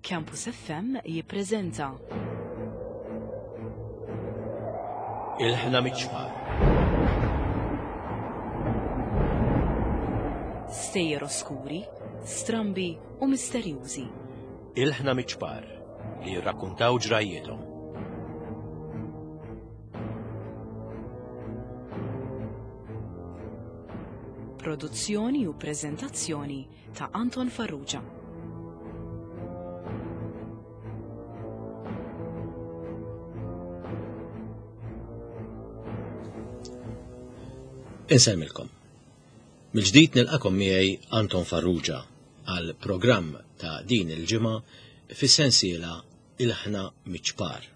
Campus FM jippreżenta. Il-ħna miċ-ċpar. Stejjer oskuri, strambi u misterjużi. Il-ħna miċ-ċpar li jirrakkuntaw ġrajjiethom. Produzzjoni u preżentazzjoni ta' Anton Farrugia. Insellmilkom. Mill-ġdid nilqakom miegħi Anton Farrugia għal programm ta' din il-ġimgħa fis-sensiela Il-ħna miċ-ċpar.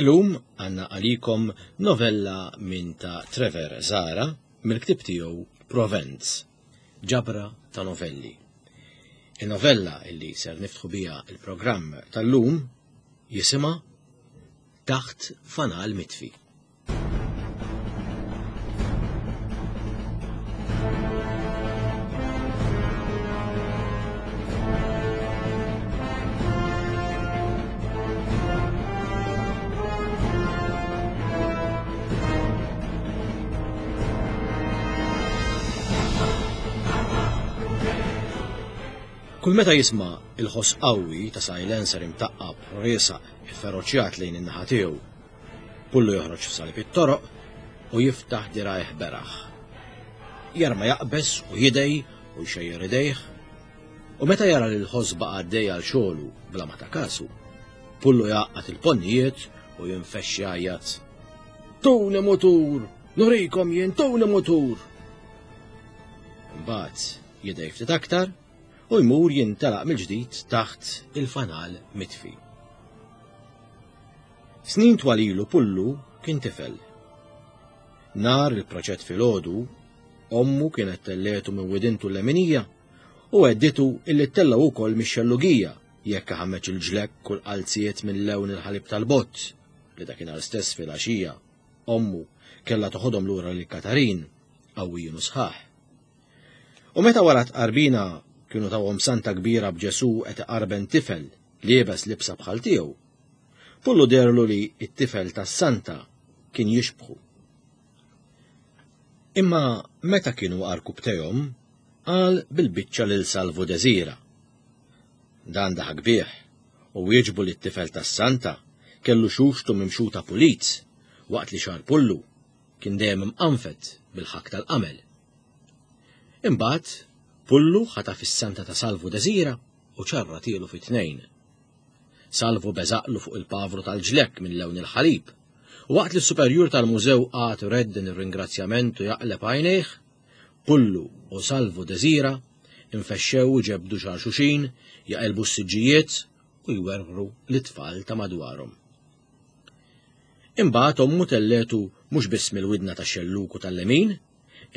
Illum għandna għalikom novella minn ta' Trevor Zara mill-ktieb tiegħu Provenz. Ġabra ta' novelli. In-novella illi ser niftħu biha il-programm tal-lum jisimha Taħt Fanal Mitfi. Kull meta jisma' il-ħoss qawwi ta' silencer imtaqqab riesaq ifferoċjat lejn in-naħa tiegħu, Pullu joħroġ f'salib it-toroq u jiftaħ dirgħajh beraħ. Jarma jaqbeż u jidgħi u jxejjer idejh, u meta jara li l-ħoss baqa' għaddej għal xogħlu bla ma ta kasu, Pullu jgħaqqad il-ponnijiet u jinfexx jgħajjat. Tuni mutur! Nurikom jien tuni mutur! Imbagħad jidgħi ftit aktar u jmur jintelaq mill-ġdid taħt il-fanal mitfi. Snin twal ilu Pullu kien tifel. Nhar il-proċett filgħodu, ommu kienet telletu minn widintu l-leminija u għedditu illi ttellgħu wkoll mix-xellugija jekk iħammeġ il-ġlekk u l-qalziet minn lewn il-ħalib tal-bott li dakinhar stess filgħaxija ommu kellha toħodhom lura lil Katarin qawwijin u sħaħ. U meta wara tqarbina kienu tawhom santa kbira b'Ġesù qed iqarben tifel liebes libsa bħal tiegħu, Pullu deherlu li t-tifel tas-santa kien jixbħu. Imma meta kienu għarkupptejhom, qal bil-biċċa lil Salvu Desira. Dan daħak bih u wieġbu li t-tifel tas-santa kellu xuxtu mimxuta pulit waqt li xagħar Pullu kien dejjem imqanfed bil-ħakk tal-qamel. Imbagħad Pullu ħataf is-santa ta' Salvu Desira u ċarratielu fi tnejn. Salvu beżaqlu fuq il-pavru tal-ġlekk minn lewn il-ħalib. U waqt li s-superjur tal-mużew qagħad iredden ir-ringrazzjament u jaqleb għajnejh, Pullu u Salvu Desira infexxew u ġebdu xagħar xuxin, jaqilbu s-siġġijiet u jwerwru lit-tfal ta' madwarhom. Imbagħad ommu telletu mhux biss mill-widna tax-xellug u tal-lemin,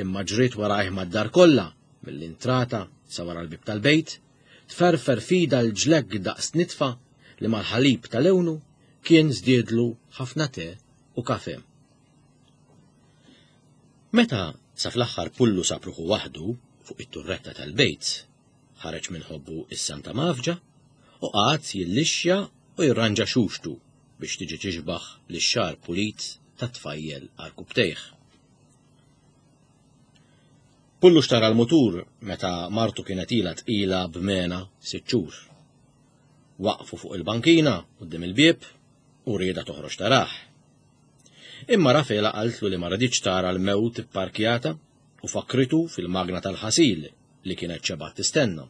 imma ġriet warajh mad-dar kollha, mill-intrata sa wara l-bieb tal-bejt, tferfer f'idha l-ġlekk daqs nitfa li mal-ħalib ta' lewnu kien żdiedlu ħafna te u kafe. Meta sa fl-aħħar Pullu sab ruħu waħdu fuq it-turretta tal-bejt, ħareġ minn ħobbu is-Santa Mafġa u qagħad jillixxja u jirranġa xuxtu biex tiġi tixbaħ lix-xagħar pulit tat-tfajjel għarkupptejh. Pullu xtara l-mutur meta martu kienet ilha tqila b'mena sitt xhur. Waqfu fuq il-bankina quddiem il-bieb u riedha toħroġ tarah. Imma Rafela qaltlu li ma riditx tara l-mewt ipparkjata u fakkritu fil-magna tal-ħasil li kienet xebgħet tistenna.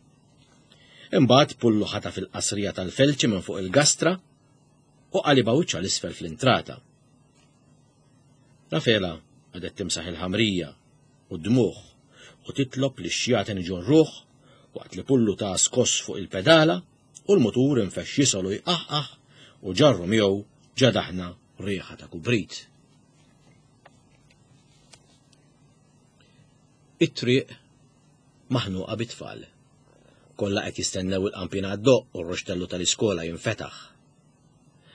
Imbagħad Pullu ħataf il-qasrija tal-felċi minn fuq il-gastra u qalibha wiċċha 'l isfel fl-intrata. Rafela qagħdet timsaħ il-ħamrija u d-dmugħ u titlob li x-xjaten iġorruh waqt li Pullu ta skoss fuq il-pedala u l-mutur infexx jisgħol u jqaħqaħ u ġarru miegħu ġa daħna riħa ta' kubrit. It-triq maħnuqa bit-tfal. Kollha qed jistennew il-qampina ddoqq u r-ruxtellu tal-iskola jinfetaħ.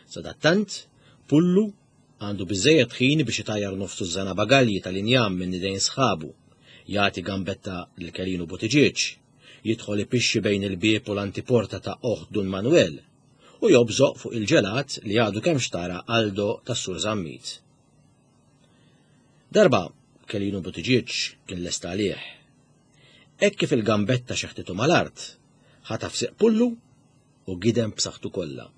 Sadattant, Pullu għandu biżżejjed ħin biex itajjar nofs tużżana bagalji tal-injam minn idejn sħabu, jagħti gambetta lil Kelinu Buttiġieġ, Jidħol ipixxi bejn il-bieb u l-antiporta ta' oħt Dun Manuel u jobżoq fuq il-ġelat li għadu kemm xtara Aldo tas-Sur Zammit. Darba Kelinu Buttigieg kien lest għalih. Hekk kif il-gambetta xeħtitu mal-art, ħataf siq Pullu u gidem b'saħħtu kollha.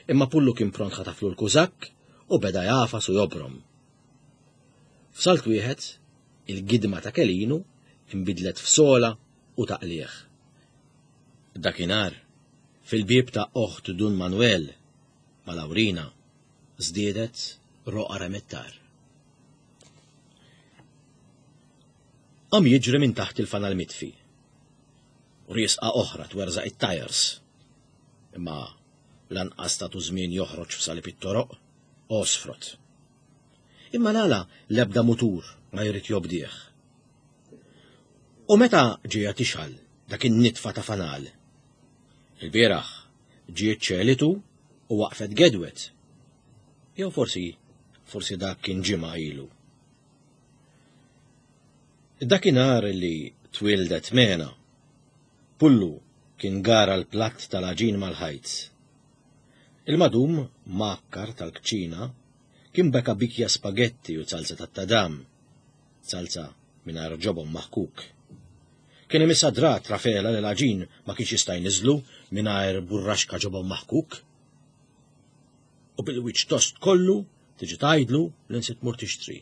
Imma Pullu kien pront ħataflu l-kużakk u beda jagħfas u jobrom. F'salt wieħed, il-gidma ta' Kelinu inbidlet f'sola u taqligħ. Dakinhar, fil-bieb ta' oħt Dun Manuel, ma' Lawrina, żdiedet roqgħa remettar. Qam jiġri minn taħt il-fanal mitfi. Riesqa oħra twerżaq it-tajers. Imma lanqas tatu żmien joħroġ f'salib it-toroq, għosfrot. Imma l-għala l-ebda mutur ma jrid jobdih. U meta ġejja tixgħal dak in-nitfa ta' fanal? Il-bieraħ ġiet ċelitu u waqfet gedwet. Jew forsi, forsi dak kien ġimgħa ilu. Dakinhar li twieldet Mena, Pullu kien gara l-platt tal-għaġin mal-ħajt. Il-madum mgħakkar tal-kċina kien beka bikja spagetti u zalza tat-tadam, zalza mingħajr ġobon maħkuk. Kien imissha drat Rafela li l-għaġin ma kienx jista' jniżżlu mingħajr burraxka ġobon maħkuk. U bil-wiċċ tost kollu tiġi tgħidlu li nsiet tmur tixtri.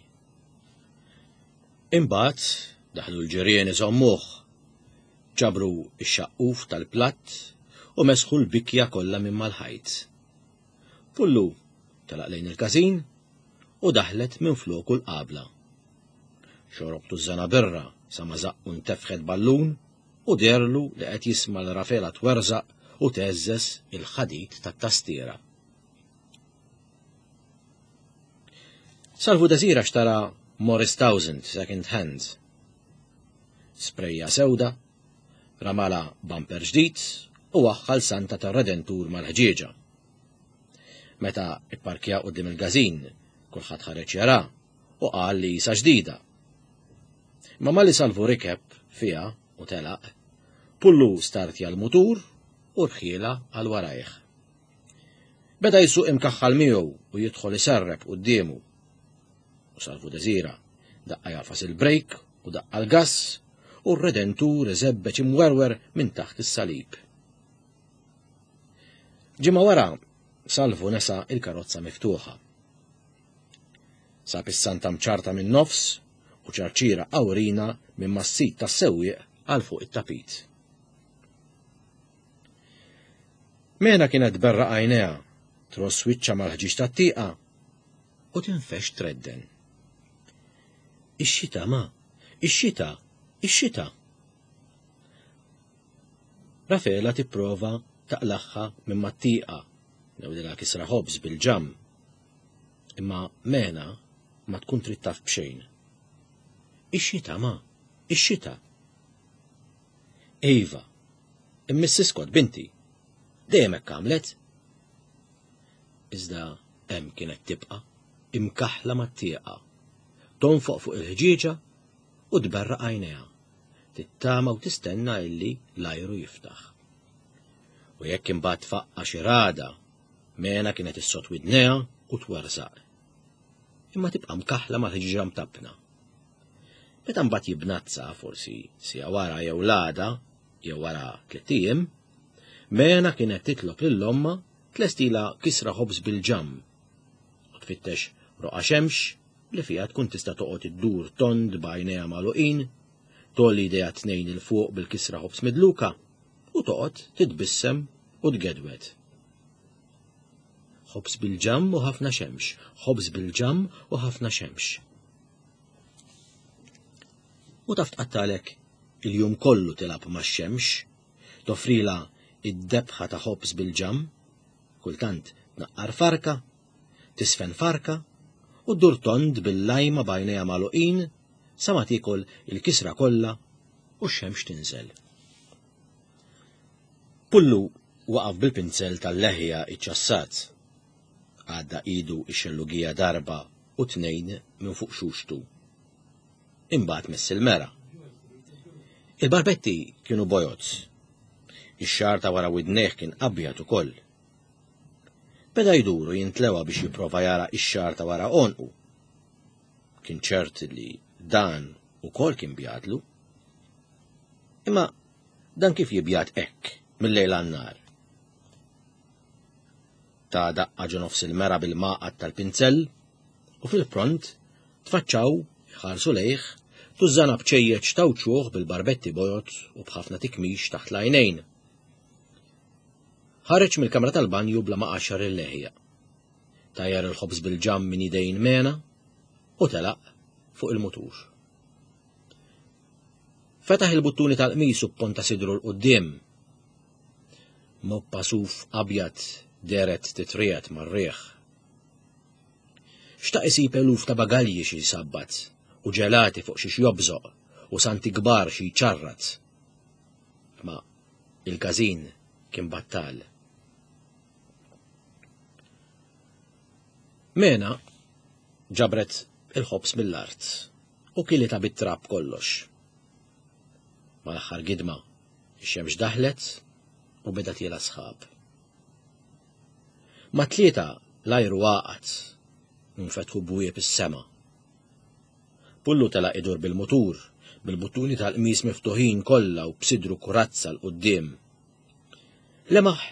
Imbagħad daħlu l-ġirien iżommuh. Ġabru x-xaqquf tal-platt u mesħu l-bikja kollha minn mal-ħajt. Pullu telaq lejn il-każin u daħlet minfloku l-qabla. Xorob tużżana birra sa ma żaqqu ntefħet ballun u deherlu li qed jisma' 'l Rafela twerżaq u tgħeżżeż il-ħadid tat-tastiera. Salvu Desira xtara Morris Towsend second hand. Sprejja sewda, ramala bumper ġdid u waħħal Santa tar-Redentur mal-ħġieġa. Meta ipparkja quddiem il-każin, kulħadd ħareġ jara u qal li jisa ġdida. Imma malli Salvu rikeb fiha u telaq, Pullu startja l-mutur u rħielha għal warajh. Beda jsuq imkaħħal miegħu u jidħol iserrep quddiemu. U Salvu Desira daqqa jagħfas il-brejk u daqqa l-gass u r-Redentur iżebbeġ imwerwer minn taħt is-salib. Ġimgħa wara, Salvu nesa il-karozza miftuħa. Sab is-santa mċarta min-nofs u ċarċira awrina minn mas-sit tas-sewwieq għal fuq it-tapit. Mena kienet tberraq għajnejha, tross wiċċha mal-ħġieġ tat-tieqa u tinfexx tredden. Ix-xita, ma, ix-xita, ix-xita! Rafela tipprova taqlagħha minn mat-tieqa, newdilha kisra ħobż bil-ġamm. Imma Mena ma tkun trid taf b'xejn. Ix-xita, ma, ix-xita. Iva, imma iskot binti. Dejjem hekk għamlet. Iżda hemm kienet tibqa' imkaħħla mat-tieqa, tonfoq fuq il-ħġieġa u tberraq għajnejha, tittama u tistenna illi l-ajru jiftaħ. U jekk imbagħad tfaqqa' xi ragħda Mena kienet issod widnejha u twerżaq. Imma tibqa' mkaħħla mal-ħġieġa mtappna. Meta mbagħad jibnazza, forsi siegħa wara jew l-għada, jew wara tlitt ijiem, Mena kienet titlob lil ommha tlestilha kisra ħobż bil-ġamm u tfittex roqgħa xemx li fiha tkun tista' toqgħod iddur tond b'għajnejha magħluqin, tgħolli jdejha t-tnejn 'il fuq bil-kisra ħobż midluka u toqgħod titbissem u tgedwed. Ħobż bil-ġamm u ħafna xemx, ħobż bil-ġamm u ħafna xemx. U taf tqattalek il-jum kollu tilgħab max-xemx, toffrilha id-debħa ta' ħobż bil-ġamm, kultant tnaqqar farka, tisfen farka u ddur tond bil-lajma b'għajnejha magħluqin sa ma tiekol il-kisra kollha u x-xemx tinżel. Pullu waqaf bil-pinzell tal-leħja iċċassat. Għadda idu x-xellugija darba u tnejn minn fuq xuxtu. Imbagħad mess il-mera. Il-barbetti kienu bojod. Ix-xagħar ta' wara widnejh kien abjad ukoll. Beda jdur u jintlewa biex jipprova jara x-xagħar ta' wara għonqu. Kien ċert li dan ukoll kien bjadlu. Imma dan kif jibjad hekk mill-lejl għan-nhar? Ta daqqa ġo nofs il-mera bil-maqgħad tal-pinzell u fil-pront tfaċċaw iħarsu lejh tużżana bċejjeċ ta' wċuħ bil-barbetti bojod u b'ħafna tikmix taħt l-għajnejn. Ħareġ mill-kamra tal-banju bla ma qaxxar il-leħja. Tajjar il-ħobż bil-ġamm minn idejn Mena u telaq fuq il-mutur. Fetaħ il-buttuni tal-qmis u pponta sidru 'l quddiem. Moppa suf abjad dehret titriegħed mar-riħ. Xtaq isib eluf ta' bagalji xi jsabbat u ġelati fuq xiex jobżoq u santi kbar xi jċarrat. Ma il-każin kien battal. Mena ġabret il-ħobż mill-art u kilitha bit-trab kollox. Mal-aħħar gidma, ix-xemx daħlet u beda tiela' sħab. Mat-tlieta l-ajru għaqad u nfetħu bwieb is-sema. Pullu telaq idur bil-mutur, bil-buttuni tal-qmis miftuħin kollha u b'sidru kurazza 'l quddiem. Lemaħ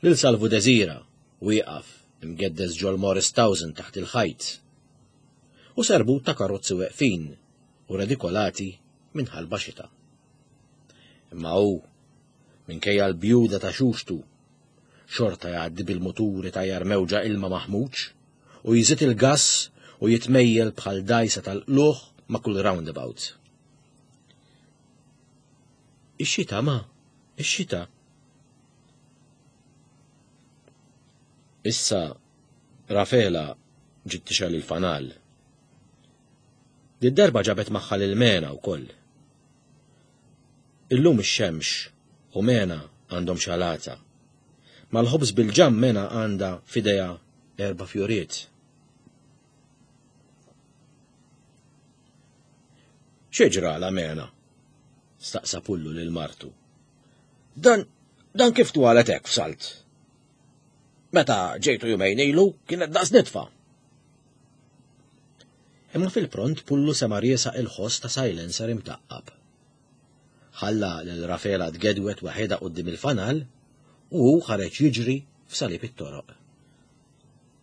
lil Salvu Desira wieqaf imgeddes ġol-Morris Towson taħt il-ħajt. U serbut ta' karozzi weqfin u redikolati minn ħalba xita. Imma hu, minkejja l-bjuda ta' xuxtu, xorta jgħaddi bil-mutur itajjar mewġa ilma maħmuġ u jżid il-gass u jitmejjel bħal dgħajsa tal-qlugħ ma' kull roundabout. Ix-xita, ma, ix-xita. Issa Rafela ġiet tixgħel il-fanal. Did-darba ġabet magħha lil Mena wkoll. Illum ix-xemx u Mena għandhom xalata. Mal-ħobż bil-ġamm Mena għandha f'idejha erba' fjuriet. Xi ġralha Mena? staqsa Pullu lil martu. Dan, dan kif twalet hekk f'salt? Meta ġejtu jumejn ilu kienet daqs nitfa. Imma fil-pront Pullu sema' riesaq il-ħoss ta' silencer imtaqqab. Ħalla lil Rafela tgedwed waħedha quddiem il-fanal u hu ħareġ jiġri f'salib it-toroq.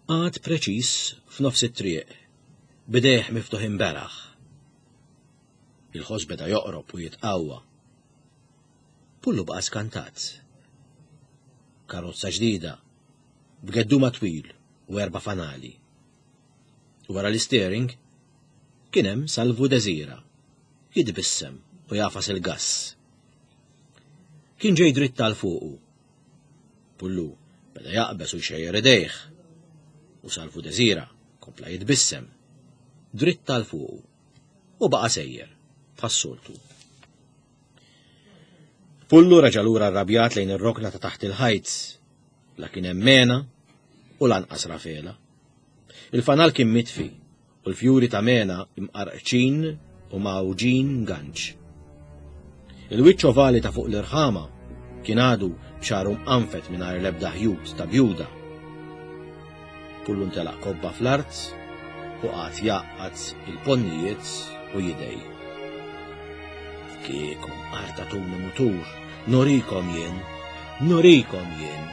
Qagħad preċiż f'nofs it-triq, b'idejh miftuħin beraħ. Il-ħoss beda joqrob u jitqawwa. Pullu baqa' skantat. Karozza ġdida, b'gedduma twil u erba' fanali. Wara l-isteering, kien hemm Salvu Desira, jitbissem u jagħfas il-gass. Kien ġej dritt għal fuqu. Pullu beda jaqbeż u jxejjer idejh. U Salvu Desira kompla jitbissem, dritt għal fuqu, u baqa' sejjer, bħas-soltu. Pullu reġa' lura rrabjat lejn ir-rokna ta' taħt il-ħajt. La kien hemm Mena u lanqas Rafela. Il-fanal kien mitfi u l-fjuri ta' Mena imqarqċin u mgħawġin ganċ. Il-wiċċ ovali ta' fuq l-irħama kien għadu b'xagħru mqanfed mingħajr l-ebda ħjut ta' bjuda. Pullu ntelaq kobba fl-art u qagħad jgħaqqad il-ponnijiet u jidej. Kieku artatuni mutur, nurikom jien, nurikom jien.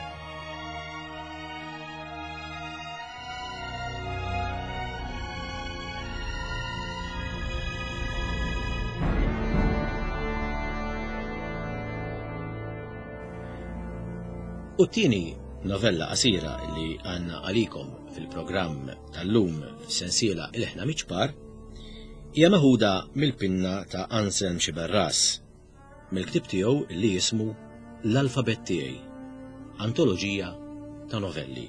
U t-tieni novella qasira li għandna għalikom fil-programm tal-lum fis-sensiela Il-Ħna Miċpar hija meħuda mill-pinna ta' Anselm Sciberras mill-ktieb tiegħu li jismu L-Alfabett Tiegħi, antoloġija ta' novelli.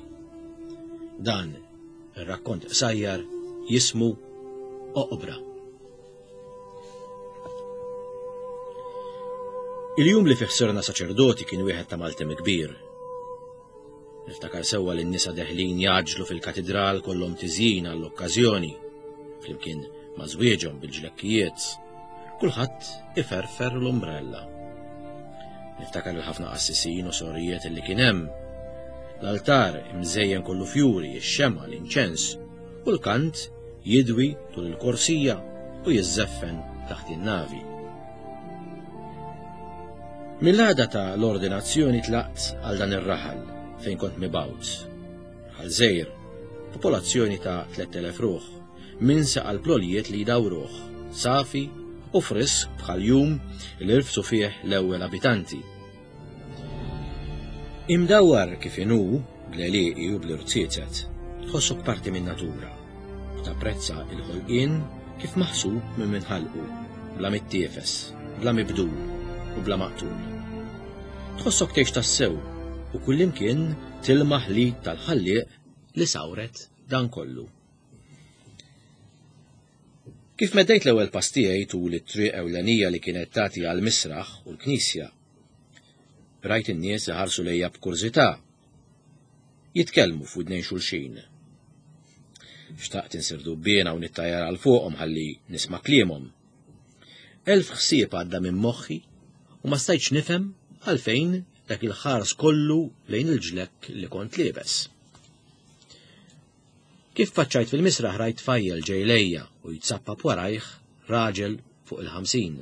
Dan ir-rakkont qsajjar jismu Oqbra. Il-jum li fih sirna saċerdoti kien wieħed ta' maltem kbir. Niftakar sewwa li n-nisa deħlin jaġlu fil-katidral kollhom tiżjin għall-okkażjoni, flimkien ma' żwieġhom bil-ġlekkijiet. Kulħadd iferfer l-umbrella. Niftakar il-ħafna qassisin u sorijiet li kien hemm. L-altar imżejjen kollu fjuri, ix-xema, l-inċens u l-kant jidwi tul il-korsija u jiżżeffen taħt in-navi. Mill-għada ta' l-ordinazzjoni tlaqt għal dan ir-raħal fejn kont mibgħut. Raħal żgħir, popolazzjoni ta' 3000 ruħ, minsa qalb l-għoljiet li jdawruh, safi u frisk bħal jum li rfsu fih l-ewwel abitanti. Imdawwar kif inhu bl-għelieqi u bl-irziezet, tħossok parti min-natura u tapprezza l-ħolqien kif maħsub minn min ħalqu, bla mittiefes, bla mibdul u bla maqtul. Tħossok tgħix tassew u kullimkien tilmaħ l-id tal-Ħallieq li sawret dan kollu. Kif meddejt l-ewwel pass tiegħi tul it-triq ewlenija li kienet tagħti għall-misraħ u l-knisja, rajt in-nies iħarsu lejja b'kurżità, jitkellmu f'widnejn xulxin. Xtaqt insir dubbiena u nittajjar għal fuqhom ħalli nisma' kliemhom. Elf ħsieb għadda minn moħħi u ma stajtx nifhem għalfejn dak il-ħars kollu lejn il-ġlekk li kont liebes. Kif faċċajt fil-misraħ rajt tfajjel ġej lejja u jitsappap warajh raġel fuq il-50.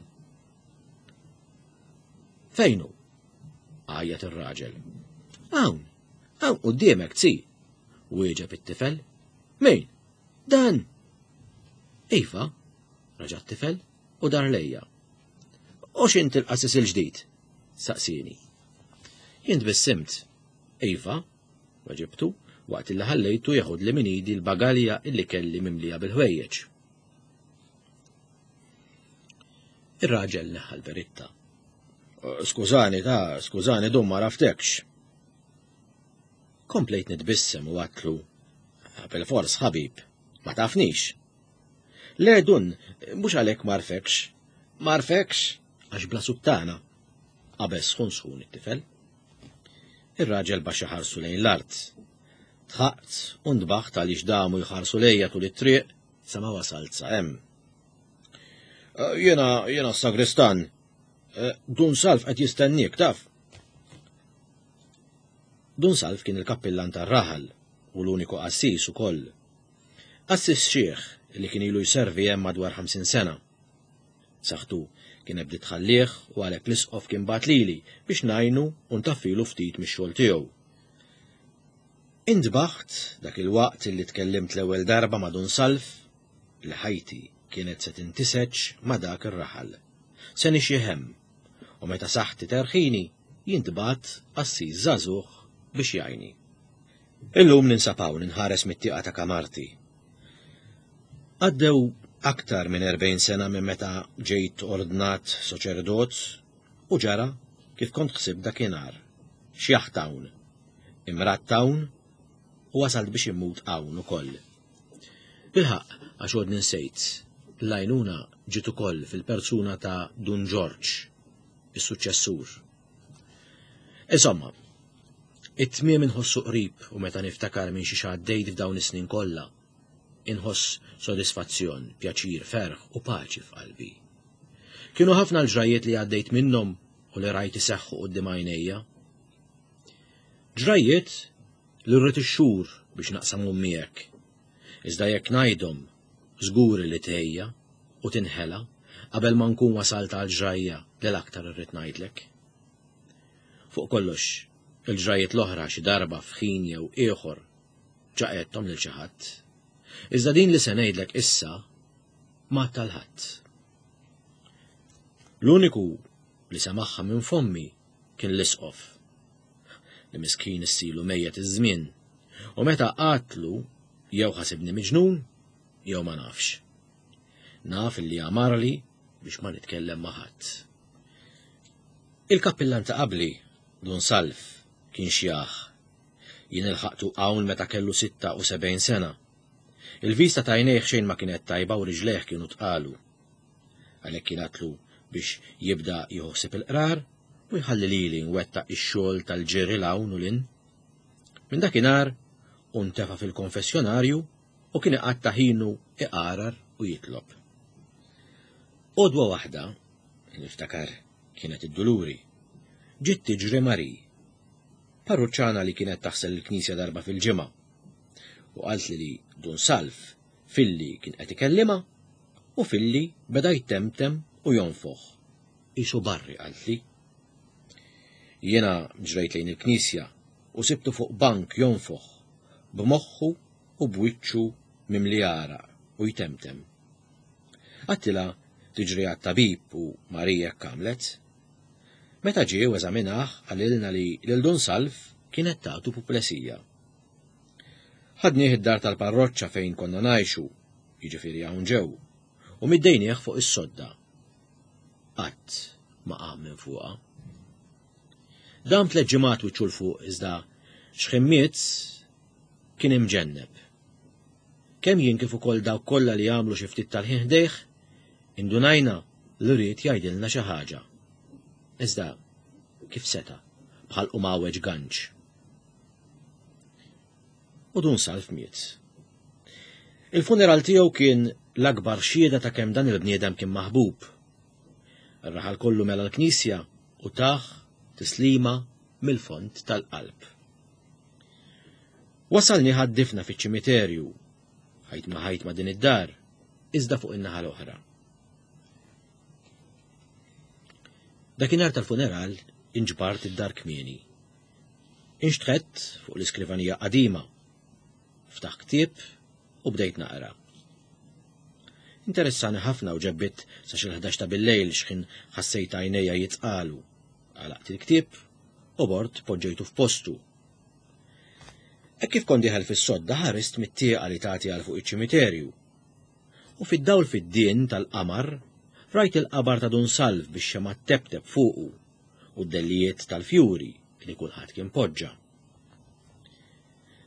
Fejn hu? Għajjat ir-raġel. Hawn, hawn quddiemek zi, wieġeb it-tifel. Min? Dan! Iva, raġa' t-tifel u dar lejja. U x'int il-qassis il-ġdid? Saqsini. Jien tbissimt. Iva, weġibtu, waqt illi ħallejtu jeħodli minn idi l-bagalja illi kelli mimlija bil-ħwejjeġ. Ir-raġel neħħa l-beritta. Skużani, ta' skużani, dum ma raftekx. Komplejt nitbissem u għatlu, bil-fors ħabib, ma tafnix. Le dun, mhux għalhekk marfekx. Marfekx għax bla suttana. Qabeż sħun sħun it-tifel. Ir-raġel baxxa ħarsu lejn l-art. Dħaqt u ntbaħt għaliex damu jħarsu lejja tul it-triq sa ma wasalt sa hemm. Eh, jiena jiena s-sagristan. Eh, Dun Salf qed jistenniek, taf. Dun Salf kien il-kappillan tar-raħal u l-uniku qassis ukoll. Qassis xiħ li kien ilu jservi hemm madwar 50 sena. Saħħtu kienet bdiet tħallih u għalhekk l-Isqof kien bagħat lili biex ngħinu u ntaffilu ftit mix-xogħol tiegħu. Intbaħt dak il-waqt li tkellimt l-ewwel darba ma' Dun Salv li ħajti kienet se tintiseġ ma' dak ir-raħal. Se nixjieħ hemm u meta saħħti terħini jintbagħat qassis żagħżugħ biex jgħinni. Illum ninsab hawn inħares mit-tieqa ta' kamarti. Għaddew aktar minn 40 sena minn meta ġejt ordnat soċerdot u ġara kif kont ħsibt dakinhar. Xjaħt hawn, imradt hawn u wasalt biex immut hawn ukoll. Bilħaqq, għax għodni nsejt, l-għajnuna ġiet ukoll fil-persuna ta' Dun Ġorġ, is-suċċessur. Insomma, it-tmiem inħossu qrib u meta niftakar minn xiex għaddejt f'dawn is-snin kollha, inħoss sodisfazzjon, pjaċir, ferħ u paċi f'qalbi. Kienu ħafna l-ġrajjiet li għaddejt minnhom u li rajt iseħħu quddiem għajnejja. Ġrajjiet li rrid ix-xhur biex naqsamhom miegħek. Iżda jekk ngħidhom, żgur li tgħejja u tinħela qabel ma nkun wasalt għal ġrajja li l-aktar irrid ngħidlek. Fuq kollox, il-ġrajjiet l-oħra xi darba f'ħin jew ieħor ġa għedthom lil xi ħadd. Iżda din li se ngħidlek issa ma għadtha 'l ħadd. L-uniku li semagħha minn fommi kien l-isqof, li miskin issilu mejjet iż-żmien, u meta għadtlu jew ħasibni miġnun jew ma nafx. Naf li għamarli biex ma nitkellem ma' ħadd. Il-kappillan ta' qabli, Dun Salv, kien xjaħ. Jien ilħaqtu hawn meta kellu 76 sena. Il-vista ta' għajnejh xejn ma kienet tajba u riġlejh kienu tqalu. Għalhekk jien għadtlu biex jibda jieħu ħsieb il-qrar u jħalli lili nwettaq ix-xogħol tal-ġiri 'l hawn u 'l hinn. Minn dakinhar hu ntefa' fil-konfessjonarju u kien iqatta' ħinu iqarar u jitlob. Għodwa waħda, niftakar kienet id-Duluri, ġiet tiġri Marie, parruċċana li kienet taħsel il-knisja darba fil-ġimgħa, u qaltli li Dun Salv filli kien qed ikellimha u filli beda jtemtem u jonfoħ. Qisu barri qaltli. Jiena ġrejt lejn il-knisja u sibtu fuq bank jonfoħ, b'moħħu u b'wiċċu mimli għaraq u jtemtem. Għedtilha tiġri għat-tabib u Marie hekk għamlet. Meta ġie u eżaminah qalilna li lil Dun Salv kienet tagħtu puplesija. Ħadnieh id-dar tal-parroċċa fejn konna ngħixu, jiġifieri hawn ġew, u middejnieh fuq is-sodda. Qatt ma qam minn fuqha. Dam tliet ġimgħat wiċċu 'l fuq iżda x'ħin miet kien imġenneb. Kemm jien kif ukoll dawk kollha li għamlu xi ftit tal-ħin ħdejh, indunajna li ried jgħidilna xi ħaġa. Iżda kif seta' bħalqu mgħawweġ ganċ. U Dun Salv miet. Il-funeral tiegħu kien l-akbar xhieda ta' kemm dan il-bniedem kien maħbub. Ir-raħal kollu mela l-knisja u tah tislima mill-fond tal-qalb. Wasalni ħaddifna fiċ-ċimiterju, ħajt ma ħajt ma' din id-dar, iżda fuq in-naħa l-oħra. Dakinhar tal-funeral inġbart id-dar kmieni. Inxtħett fuq l-iskrivanija qadima. Ftaħ ktieb u bdejt naqra. Interessani ħafna u ġebbit sa xi l-11 ta' billejl x'ħin ħassejt għajnejja jitqalu. Għalaqt il-ktieb u bort poġġejtu f'postu. Hekk kif kont dieħel fis-sodda ħarist mit-tieqa li tagħti għal fuq iċ-ċimiterju. U fid-dawl fid-dien tal-qamar rajt il-qabar ta' Dun Salv bix-xemgħa tteptep fuqu u d-dellijiet tal-fjuri li kulħadd kien poġġa.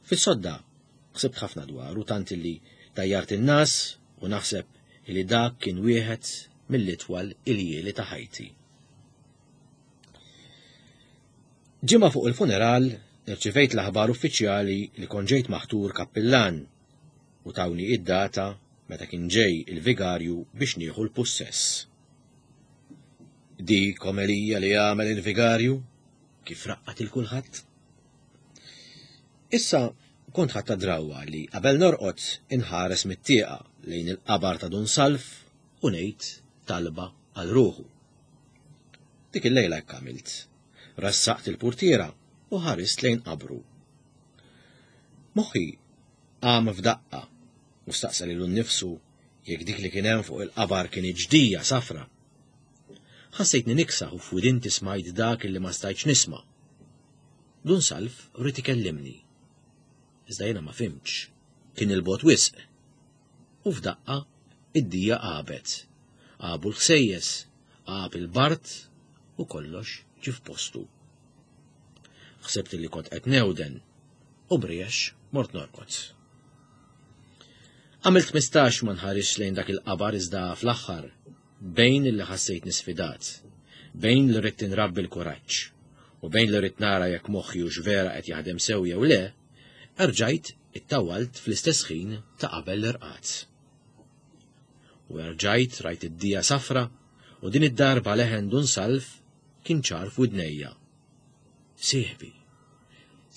Fis-sodda ħsibt ħafna dwaru tant illi dajjart in-nas u naħseb illi dak kien wieħed mill-itwal iljieli ta' ħajti. Ġimgħa fuq il-funeral irċivejt l-aħbar uffiċjali li kont ġejt maħtur kappillan u tawni id-data meta kien ġej il-vigarju biex nieħu l-pussess. Dik omelija li għamel il-vigarju kif raqqat il kulħadd. Issa kont ħadtha drawwa li qabel norqod inħares mit-tieqa lejn il-qabar ta' Dun Salv u ngħid talba għal ruħu. Dik il-lejla hekk għamilt. Rassaqt il-purtiera u ħarist lejn qabru. Moħħi qam f'daqqa u staqsa lilu nnifsu jekk dik li kien hemm fuq il-qabar kien ġdija safra. Ħassejtni niksaħ u f'widinti smajt dak li ma stajtx nisma'. Dun Salv ried ikellimni. Iżda jiena ma fhimtx. Kien 'il bogħod wisq. U f'daqqa id-dija għabet. Għabu l-ħsejjes, għab il-bard u kollox ġie f'postu. Ħsibt li kont qed newden u briex mort norqod. Għamilt 15 ma nħarisx lejn dak il-qabar iżda fl-aħħar bejn li ħassejtni sfidat, bejn li ridt inrabbi l-kuraġġ u bejn li ridt nara jekk moħħi hux vera qed jaħdem sew jew le, erġajt ittawwalt fl-istess ħin ta' qabel l-irqad. U erġajt rajt id-dija safra u din id-darba leħen Dun Salv kien ċar f'widnejja. Sieħbi,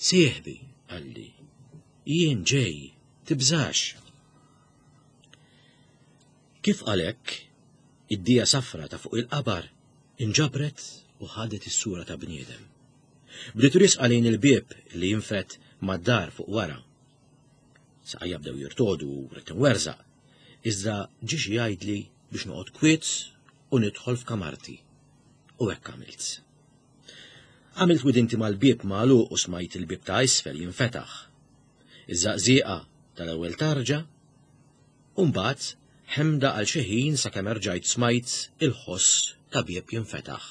sieħbi, qalli, jien ġej, tibżax. Kif qal hekk, id-dija safra ta' fuq il-qabar inġabret u ħadet is-sura ta' bniedem. Bdiet riesqa lejn il-bieb li jinfed mad-dar fuq wara. Saqajja bdew jirtodu u ridt inwerżaq, iżda ġie xi jgħidli biex noqgħod kwiet u nidħol f'kamarti. U hekk għamilt. Għamilt widinti mal-bieb magħluq u smajt il-bieb ta' isfel jinfetaħ. Iż-żaqżieqa tal-ewwel tarġa U mbagħad ħemda għal xi ħin sakemm erġajt smajt il-ħoss ta' bieb jinfetaħ.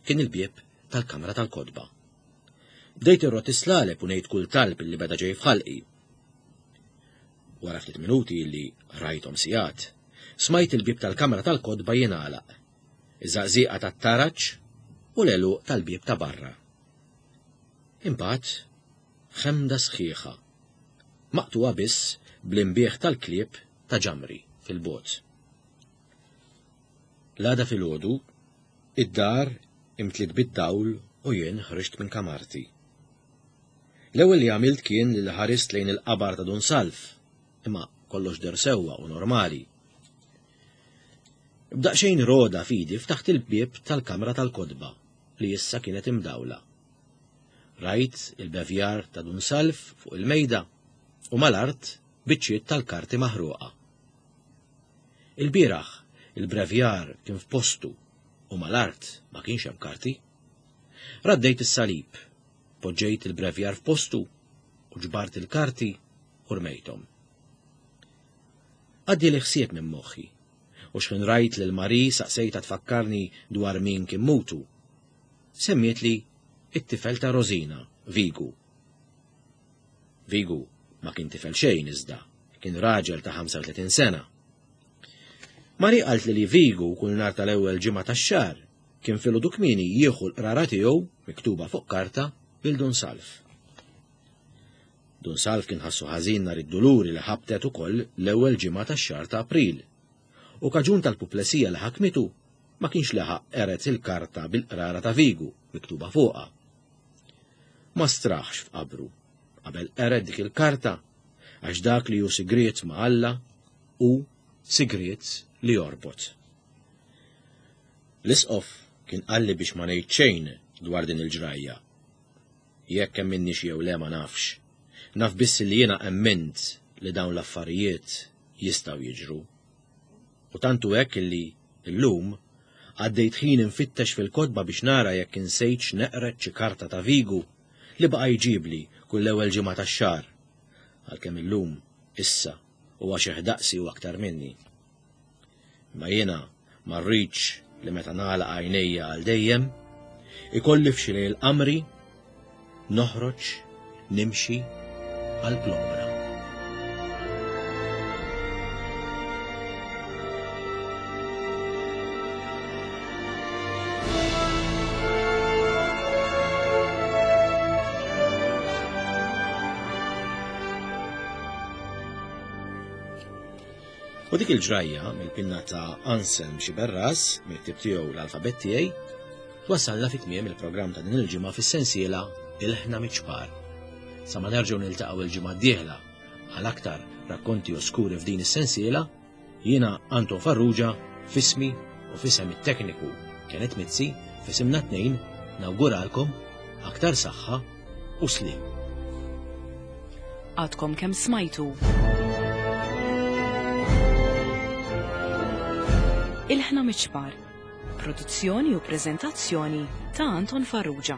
Kien il-bieb tal-kamra tal-kotba. Bdejt irrot is-slaleb u ngħid kull talb li beda ġej f'ħalqi. Wara ftit minuti li rajthom sigħat, smajt il-bieb tal-kamra tal-kotba jingħalaq, iż-żaqżieqa tat-taraġ u l-għeluq tal-bieb ta' barra. Imbagħad ħemda sħiħa maqtugħa biss bl-inbiħ tal-klieb ta' ġamri fil-bogħod. L-għada filgħodu, id-dar imtliet bid-dawl u jien ħriġt minn kamarti. L-ewwel li għamilt kien li ħarist lejn il-qabar ta' Dun Salv, imma kollox deher sewwa u normali. B'daqsxejn roda f'idi ftaħt il-bieb tal-kamra tal-kotba li issa kienet imdawla. Rajt il-bevjar ta' Dun Salv fuq il-mejda u mal-art biċċiet tal-karti maħruqa. Ilbieraħ il-brevjar kien f'postu u mal-art ma kienx hemm karti. Raddejt is-salib, poġġejt il-brevjar f'postu u ġbart il-karti u rmejthom. Għaddieli ħsieb minn moħħi u x'ħin rajt lil Marie saqsejtha tfakkarni dwar min kien mutu. Semmietli it-tifel ta' Rosina, Vigu. Vigu ma kien tifel xejn iżda kien raġel ta' 35 sena. Marie qaltli li Vigu kull nhar tal-ewwel ġimgħa tax-xahar kien filgħodu kmieni jieħu l-qrara tiegħu miktuba fuq karta lil Dun Salv. Dun Salv kien ħassu ħażin nhar id-Duluri li ħabtet ukoll l-ewwel ġimgħa tax-xahar ta' April u kaġun tal-puplesija li ħakmitu ma kienx laħaq qered il-karta bil-qrara ta' Vigu miktuba fuqha. Ma straħx f'qabru qabel qered dik il-karta għax dak li hu sigriet ma' Alla hu sigriet li jorbot. L-Isqof kien qalli biex ma ngħid xejn dwar din il-ġrajja. Jekk emminnix jew le ma nafx. Naf biss li jiena emmint li dawn l-affarijiet jistgħu jiġru. U tant hu hekk illi, illum, għaddejt ħin infittex fil-kotba biex nara jekk insejtx neqred xi karta ta' Vigu li baqa' jġibli kull l-ewwel ġimgħa tax-xahar, għalkemm illum, issa, huwa xiħ daqsi u aktar minni. Imma jiena ma rridx li meta nagħlaq għajnejja għal dejjem, ikolli f'xi lejl qamri noħroġ nimxi għal plombra. U dik il-ġrajja mill-pinna ta' Anselm Xiberras, mill-ktib tiegħu l-alfabett tiegħi, twassalna fi tmiem il-programm ta' din il-ġimgħa fis-sensiela Ilħna Miċ-Ċpar. Sa ma nerġgħu niltaqgħu il-ġimgħa d-dieħla għal aktar rakkonti oskuri f'din is-sensiela, jiena Anton Farrugia f'ismi u f'isem it-tekniku Kenneth Mizzi f'isimna tnejn nawguralkom aktar saħħa u sliem. Għadkom kemm smajtu. Ilħna Miċ-Ċpar. Produzzjoni u preżentazzjoni ta' Anton Farrugia.